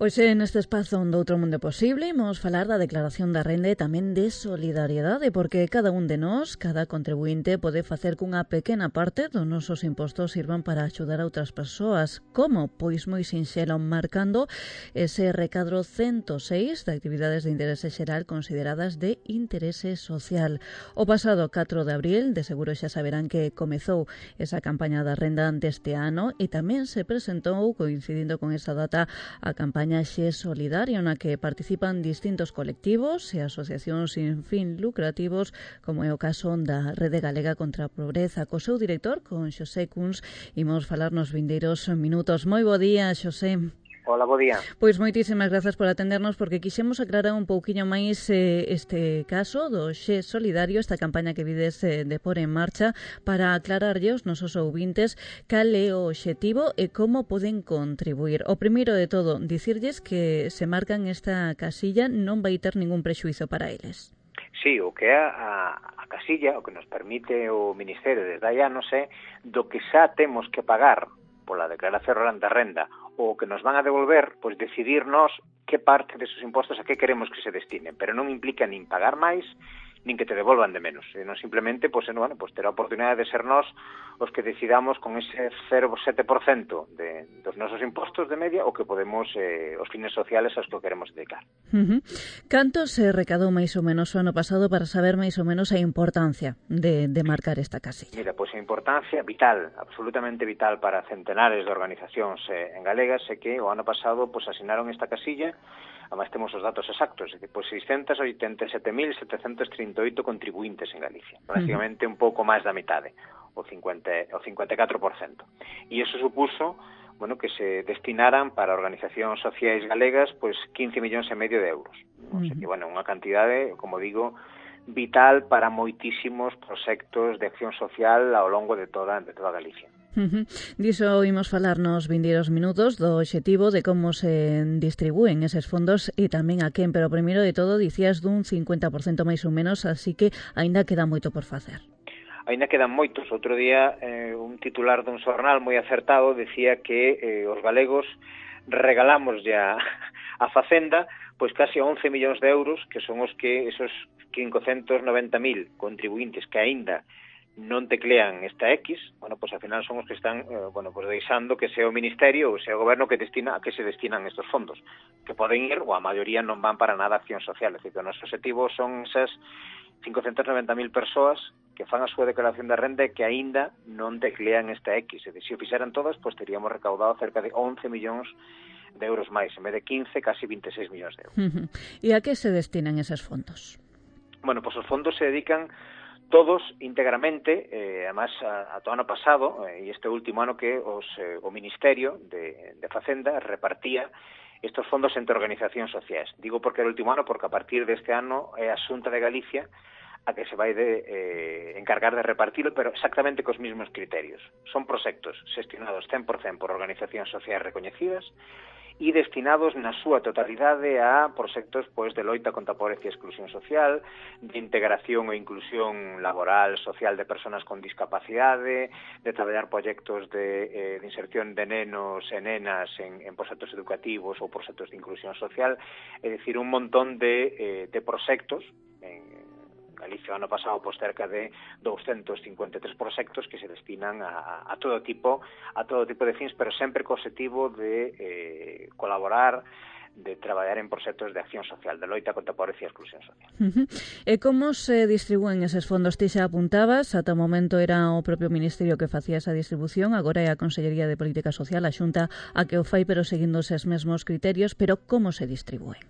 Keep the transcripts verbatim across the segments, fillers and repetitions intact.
Pois neste espazo onde outro mundo é posible, imos falar da declaración da renda e tamén de solidariedade, porque cada un de nós, cada contribuinte, pode facer cunha pequena parte dos nosos impostos sirvan para axudar a outras persoas. Como? Pois moi sinxelo, marcando ese recadro cento seis de actividades de interese xeral consideradas de interese social. O pasado catro de abril, de seguro xa saberán que comezou esa campaña da renda deste ano e tamén se presentou, coincidindo con esa data, a campaña Xe Solidario, na que participan distintos colectivos e asociacións sin fin lucrativos, como é o caso da Rede Galega contra a Pobreza. Co seu director, con Xosé Cuns, imos falar nos vindeiros minutos. Moi bo día, Xosé. Hola, bo día. Pois moitísimas grazas por atendernos, porque quixemos aclarar un pouquiño máis eh, este caso do Xe Solidario, esta campaña que vides eh, de por en marcha, para aclararlle aos nosos ouvintes cal é o obxectivo e como poden contribuir. O primeiro de todo, dicirlles que se marcan esta casilla non vai ter ningún prexuizo para eles. Sí, o que é a, a casilla, o que nos permite o Ministerio desde hai anos é do que xa temos que pagar pola declaración da renda o que nos van a devolver, pois decidirnos que parte desos impostos a que queremos que se destinen, pero non implica nin pagar máis, nin que te devolvan de menos, senón simplemente pois, bueno, pois ter a oportunidade de ser nós os que decidamos con ese cero vírgula sete por cento de, dos nosos impostos de media o que podemos, eh, os fines sociales aos que queremos dedicar. Uh-huh. Canto se recadou máis ou menos o ano pasado para saber máis ou menos a importancia de, de marcar esta casilla? Mira, pois a importancia vital, absolutamente vital para centenares de organizacións eh, en galegas é que o ano pasado pois asinaron esta casilla. Además temos os datos exactos, é dicir, pois seiscentos oitenta e sete mil setecentos trinta e oito contribuintes en Galicia, prácticamente un pouco máis da metade, o cincuenta, o cincuenta e catro por cento. E iso supuso, bueno, que se destinaran para organizacións sociais galegas pois quince millóns e medio de euros. O sea que, bueno, unha cantidade, como digo, vital para moitísimos proxectos de acción social ao longo de toda de toda Galicia. Uh-huh. Diso imos falar nos vindeiros minutos do obxectivo de como se distribúen eses fondos e tamén a quen, pero primeiro de todo dicías dun cincuenta por cento máis ou menos, así que aínda queda moito por facer. Aínda quedan moitos. Outro día eh, un titular dun xornal moi acertado decía que eh, os galegos regalamos ya a Facenda pois casi once millóns de euros, que son os que esos quinhentos noventa mil contribuintes que aínda non teclean esta X, bueno, pois ao final son os que están, eh, bueno, pois deixando que sea o Ministerio ou sea o Goberno que destina a que se destinan estes fondos, que poden ir, ou a maioría non van para nada a acción social, é dicir, que o noso objetivo son esas quinhentos noventa mil persoas que fan a súa declaración de renda e que aínda non teclean esta X, é dicir, se o fixeran todas, pois teríamos recaudado cerca de once millóns de euros máis, en vez de quince, casi vinte e seis millóns de euros. Uh-huh. E a que se destinan eses fondos? Bueno, pois os fondos se dedican todos íntegramente, eh, además a, a todo ano pasado eh, e este último ano que os, eh, o Ministerio de, de Facenda repartía estos fondos entre organizacións sociais. Digo porque era o último ano, porque a partir deste ano é a Xunta de Galicia a que se vai de, eh, encargar de repartirlo, pero exactamente cos mesmos criterios. Son proxectos xestionados cen por cento por organizacións sociais recoñecidas e destinados na súa totalidade a proxectos pois de loita contra a pobreza e exclusión social, de integración e inclusión laboral, social de persoas con discapacidade, de traballar proxectos de, eh, de inserción de nenos e nenas en, en proxectos educativos ou proxectos de inclusión social, é dicir, un montón de, eh, de proxectos en Galicia ano pasado pois cerca de doscientos cincuenta e tres proxectos que se destinan a, a todo tipo a todo tipo de fins, pero sempre co objetivo de eh, colaborar, de traballar en proxectos de acción social, de loita contra a pobreza e exclusión social. Uh-huh. E como se distribúen eses fondos? Ti xa apuntabas, ata o momento era o propio Ministerio que facía esa distribución, agora é a Consellería de Política Social, a Xunta a que o fai, pero seguindo eses mesmos criterios, pero como se distribúen?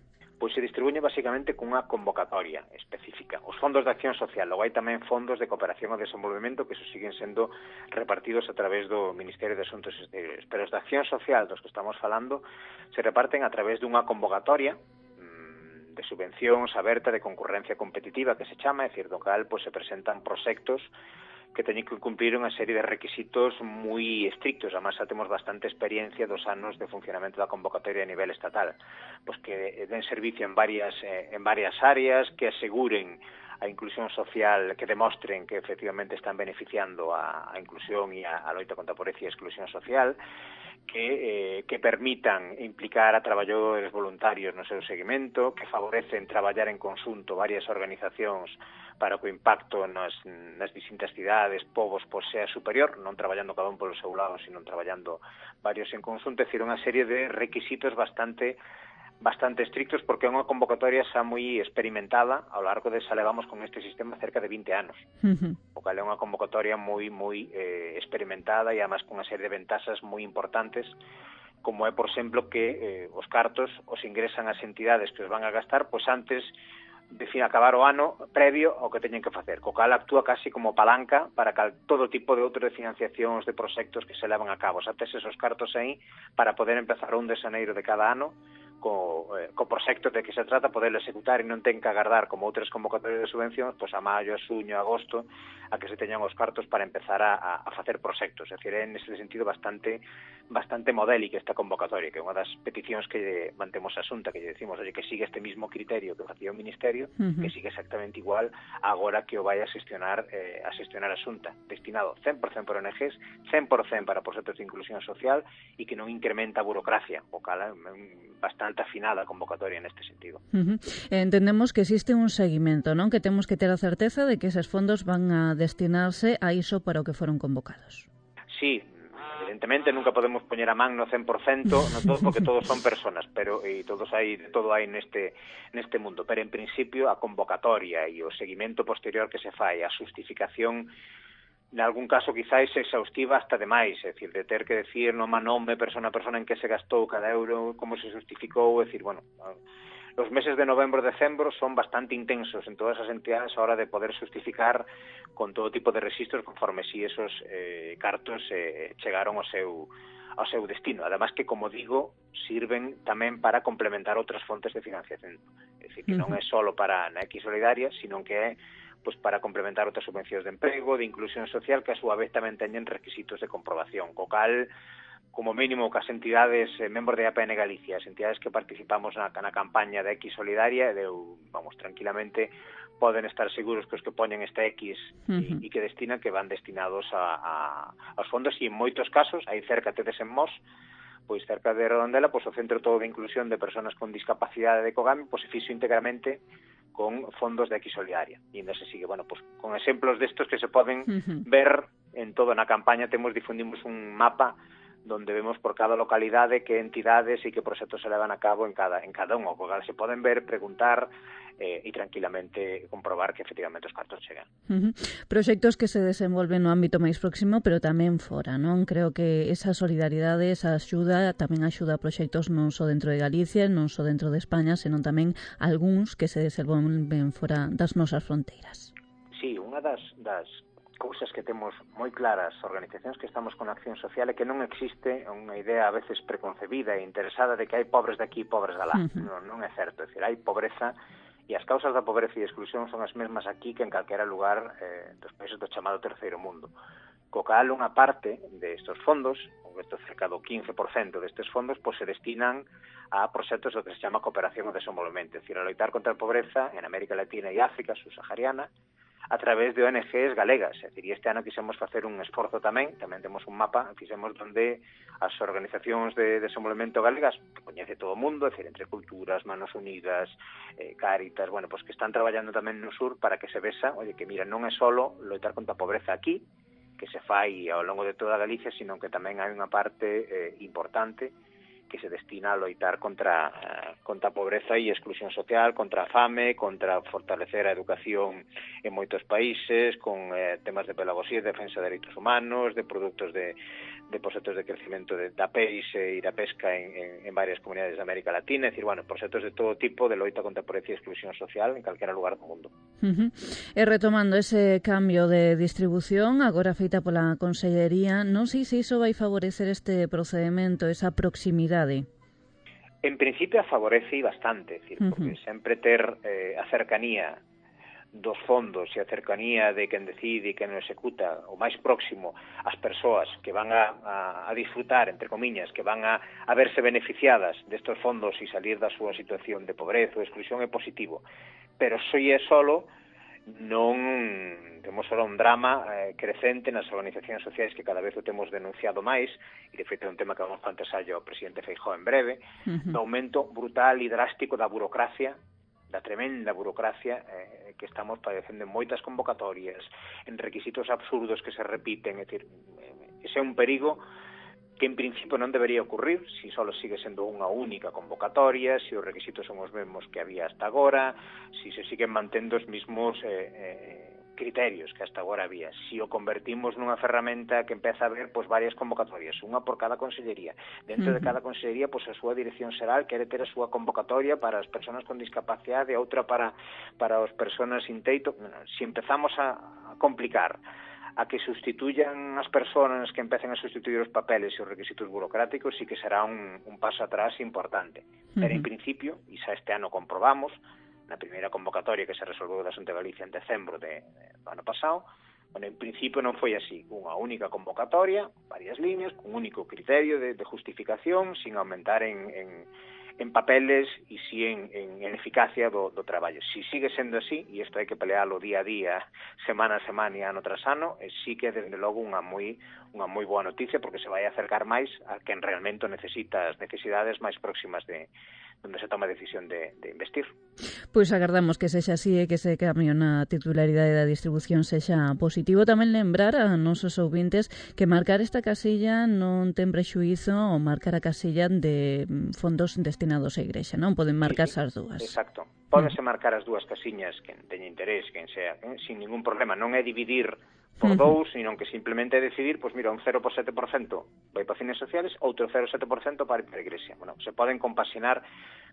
Pois se distribuye basicamente cunha convocatoria específica. Os fondos de acción social, logo hai tamén fondos de cooperación ao desenvolvemento que se siguen sendo repartidos a través do Ministerio de Asuntos Exteriores. Pero os de acción social dos que estamos falando se reparten a través dunha convocatoria mmm, de subvencións aberta de concurrencia competitiva que se chama, é dicir, do cal pois, se presentan proxectos que teñen que cumplir unha serie de requisitos moi estrictos. Además, xa temos bastante experiencia dos anos de funcionamento da convocatoria a nivel estatal, pois que den servicio en varias eh, en varias áreas, que aseguren a inclusión social, que demostren que efectivamente están beneficiando a, a inclusión e a, a loita contra a pobreza e a exclusión social, que, eh, que permitan implicar a traballadores voluntarios no seu seguimento, que favorecen traballar en conxunto varias organizacións para que o impacto nas, nas distintas cidades, povos, pois sea superior, non traballando cada un polo seu lado, sino traballando varios en conxunto, é dicir, unha serie de requisitos bastante bastante estrictos, porque é unha convocatoria xa moi experimentada ao largo de xa levamos con este sistema cerca de vinte anos. Uh-huh. O cal é unha convocatoria moi moi eh, experimentada e además con unha serie de ventaxas moi importantes, como é, por exemplo, que eh, os cartos os ingresan as entidades que os van a gastar pois antes de fin acabar o ano previo ao que teñen que facer, co cal actúa casi como palanca para cal todo tipo de outro de financiacións de proxectos que se levan a cabo. Xa tes esos cartos aí para poder empezar o un de xaneiro de cada ano co, eh, co proxecto de que se trata, poderlo executar e non ten que agardar como outras convocatorias de subvencións, pois a maio, a xuño, a agosto, a que se teñan os cartos para empezar a, a facer proxectos. É dicir, é nese sentido bastante bastante modélica esta convocatoria, que é unha das peticións que mantemos a Xunta, que lle decimos, oye, que sigue este mismo criterio que facía o Ministerio, uh-huh. que sigue exactamente igual agora que o vai a xestionar eh, a xestionar a Xunta, destinado cen por cen por O N Ges, cen por cen para proxectos de inclusión social e que non incrementa a burocracia, o cal é bastante afinada a convocatoria neste sentido. Uh-huh. Entendemos que existe un seguimento, non? Que temos que ter a certeza de que eses fondos van a destinarse a iso para o que foron convocados. Sí, evidentemente nunca podemos poñer a man no cen por cento, no todo, porque todos son personas, pero e todos hai todo hai neste neste mundo, pero en principio a convocatoria e o seguimento posterior que se fai, a xustificación en algún caso quizás exhaustiva hasta demais, é dicir, de ter que decir nome a nome, persona a persona en que se gastou cada euro, como se justificou, é dicir, bueno, os meses de novembro e decembro son bastante intensos en todas as entidades a hora de poder justificar con todo tipo de registros conforme si esos eh, cartos eh, chegaron ao seu ao seu destino. Además que, como digo, sirven tamén para complementar outras fontes de financiación. É dicir, que non é só para a X Solidaria, sino que é pues para complementar outras subvencións de emprego, de inclusión social, que a súa vez tamén teñen requisitos de comprobación, co cal, como mínimo, que as entidades eh, membros de A P N Galicia, as entidades que participamos na, na campaña de X Solidaria, de, vamos, tranquilamente, poden estar seguros que os que poñen esta X uh-huh. e, e que destinan, que van destinados a, a, aos fondos, e en moitos casos, aí cerca tedes en Mos, pois cerca de Redondela, pois o Centro Todo de Inclusión de Personas con Discapacidade de Cogami, pois se fixo íntegramente con fondos de X Solidaria. E ainda se sigue, bueno, pues con exemplos destos que se poden uh-huh. ver en todo na campaña. Temos, difundimos un mapa donde vemos por cada localidade que entidades e que proxectos se levan a cabo en cada en cada un, o cual se poden ver, preguntar eh, e tranquilamente comprobar que efectivamente os cartos chegan. Uh-huh. Proxectos que se desenvolven no ámbito máis próximo, pero tamén fora, non? Creo que esa solidaridade, esa axuda, tamén axuda a proxectos non só dentro de Galicia, non só dentro de España, senón tamén algúns que se desenvolven fora das nosas fronteiras. Sí, unha das, das cousas que temos moi claras organizacións que estamos con acción social é que non existe unha idea a veces preconcebida e interesada de que hai pobres de aquí e pobres de lá. Uh-huh. Non, non é certo, é dicir, hai pobreza e as causas da pobreza e exclusión son as mesmas aquí que en calquera lugar eh, dos países do chamado terceiro mundo. Co cal unha parte destes fondos, ou estes cerca do quince por cento destes fondos, pois se destinan a proxectos do que se chama cooperación e desenvolvemento, é dicir, a loitar contra a pobreza en América Latina e África subsahariana, a través de O N Ges galegas. É dicir, este ano quixemos facer un esforzo tamén, tamén temos un mapa, fixemos donde as organizacións de desenvolvemento galegas, que coñece todo o mundo, é dicir, Entre Culturas, Manos Unidas, eh, Cáritas, bueno, pues que están traballando tamén no sur para que se vexa, oye, que mira, non é solo loitar contra a pobreza aquí, que se fai ao longo de toda Galicia, sino que tamén hai unha parte eh, importante que se destina a loitar contra, uh, contra a pobreza e exclusión social, contra a fame, contra fortalecer a educación en moitos países, con eh, temas de pedagogía, de defensa de dereitos humanos, de produtos de, de proxectos de crecimiento de, da peixe e da pesca en, en, en varias comunidades de América Latina, é dicir, bueno, proxectos de todo tipo de loita contra a pobreza e exclusión social en calquera lugar do mundo. Uh-huh. E retomando ese cambio de distribución, agora feita pola Consellería, non sei se iso vai favorecer este procedimento, esa proximidade. En principio a favorece bastante, é dicir, porque uh-huh. sempre ter eh, a cercanía dos fondos e a cercanía de quen decide e quen o executa o máis próximo ás persoas que van a, a, a disfrutar, entre comiñas, que van a, a verse beneficiadas destos fondos e salir da súa situación de pobreza ou exclusión é positivo. Pero só é solo non temos só un drama eh, crecente nas organizacións sociais que cada vez o temos denunciado máis, e de feito é un tema que vamos plantearlle ao presidente Feijóo en breve, uh-huh. do aumento brutal e drástico da burocracia, da tremenda burocracia eh, que estamos padecendo en moitas convocatorias, en requisitos absurdos que se repiten, é dicir, ese é un perigo que en principio non debería ocurrir se só sigue sendo unha única convocatoria, se os requisitos son os mesmos que había hasta agora, se se siguen mantendo os mesmos eh, eh, criterios que hasta agora había, se o convertimos nunha ferramenta que empeza a ver pois, varias convocatorias, unha por cada consellería. Dentro uh-huh. de cada consellería, pois, a súa dirección xeral quere ter a súa convocatoria para as persoas con discapacidade, outra para, para as persoas sin teito. Bueno, se empezamos a, a complicar, a que sustituyan as persoas, que empecen a sustituir os papeles e os requisitos burocráticos, sí que será un, un paso atrás importante. Uh-huh. Pero en principio, e xa este ano comprobamos, na primeira convocatoria que se resolveu da Xunta de Galicia en decembro de, de, do ano pasado, bueno, en principio non foi así, unha única convocatoria, varias líneas, un único criterio de, de justificación, sin aumentar en, en, en papeles e si en, en, en eficacia do, do traballo. Si sigue sendo así, e isto hai que pelealo día a día, semana a semana e ano tras ano, e sí que desde logo unha moi unha moi boa noticia, porque se vai acercar máis a quen realmente necesita as necesidades máis próximas de onde se toma a decisión de, de investir. Pois agardamos que sexa así e que ese cambio na titularidade da distribución sexa positivo. Tamén lembrar a nosos ouvintes que marcar esta casilla non ten prexuízo ou marcar a casilla de fondos destinados á Igrexa, non? Poden marcarse sí, sí, as dúas. Exacto. Pódense marcar as dúas casiñas quen teña interés, quen sea, eh, sin ningún problema. Non é dividir por dous, sino que simplemente é decidir, pois mira, un cero por sete por cento vai para fines sociales, outro cero por sete por cento para a Igrexa. Bueno, se poden compaxinar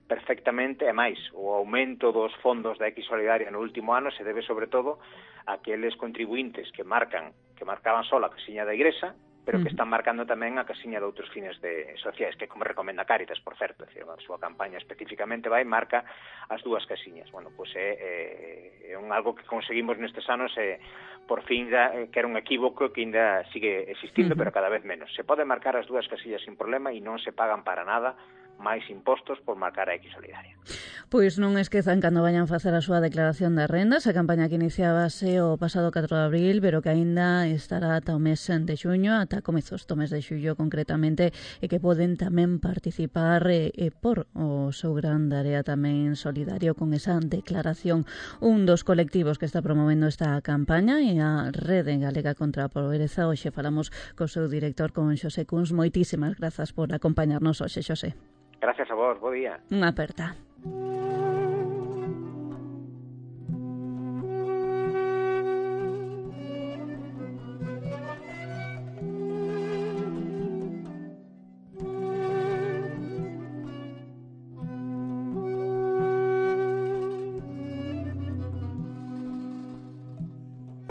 perfectamente, e máis, o aumento dos fondos da X Solidaria no último ano se debe sobre todo a aqueles contribuintes que marcan, que marcaban só a casiña da Igrexa, pero que están marcando tamén a casiña de outros fines de sociais, que como recomenda Cáritas, por certo, é dicir, a súa campaña especificamente vai marca as dúas casiñas. Bueno, pois é, é, é un algo que conseguimos nestes anos, é, por fin, da, que era un equívoco que ainda sigue existindo, uh-huh. pero cada vez menos. Se pode marcar as dúas casillas sin problema e non se pagan para nada máis impostos por marcar a X Solidaria. Pois non esquezan cando vayan facer a súa declaración de rendas, a campaña que iniciábase o pasado catro de abril, pero que aínda estará ata o mes de xuño, ata comezos do mes de xullo concretamente, e que poden tamén participar e, e por o seu gran área tamén solidario con esa declaración. Un dos colectivos que está promovendo esta campaña é a Rede Galega contra a Pobreza. Hoxe falamos co seu director, con Xosé Cuns. Moitísimas grazas por acompañarnos hoxe, Xosé. Gracias a vos, bo día. Unha aperta.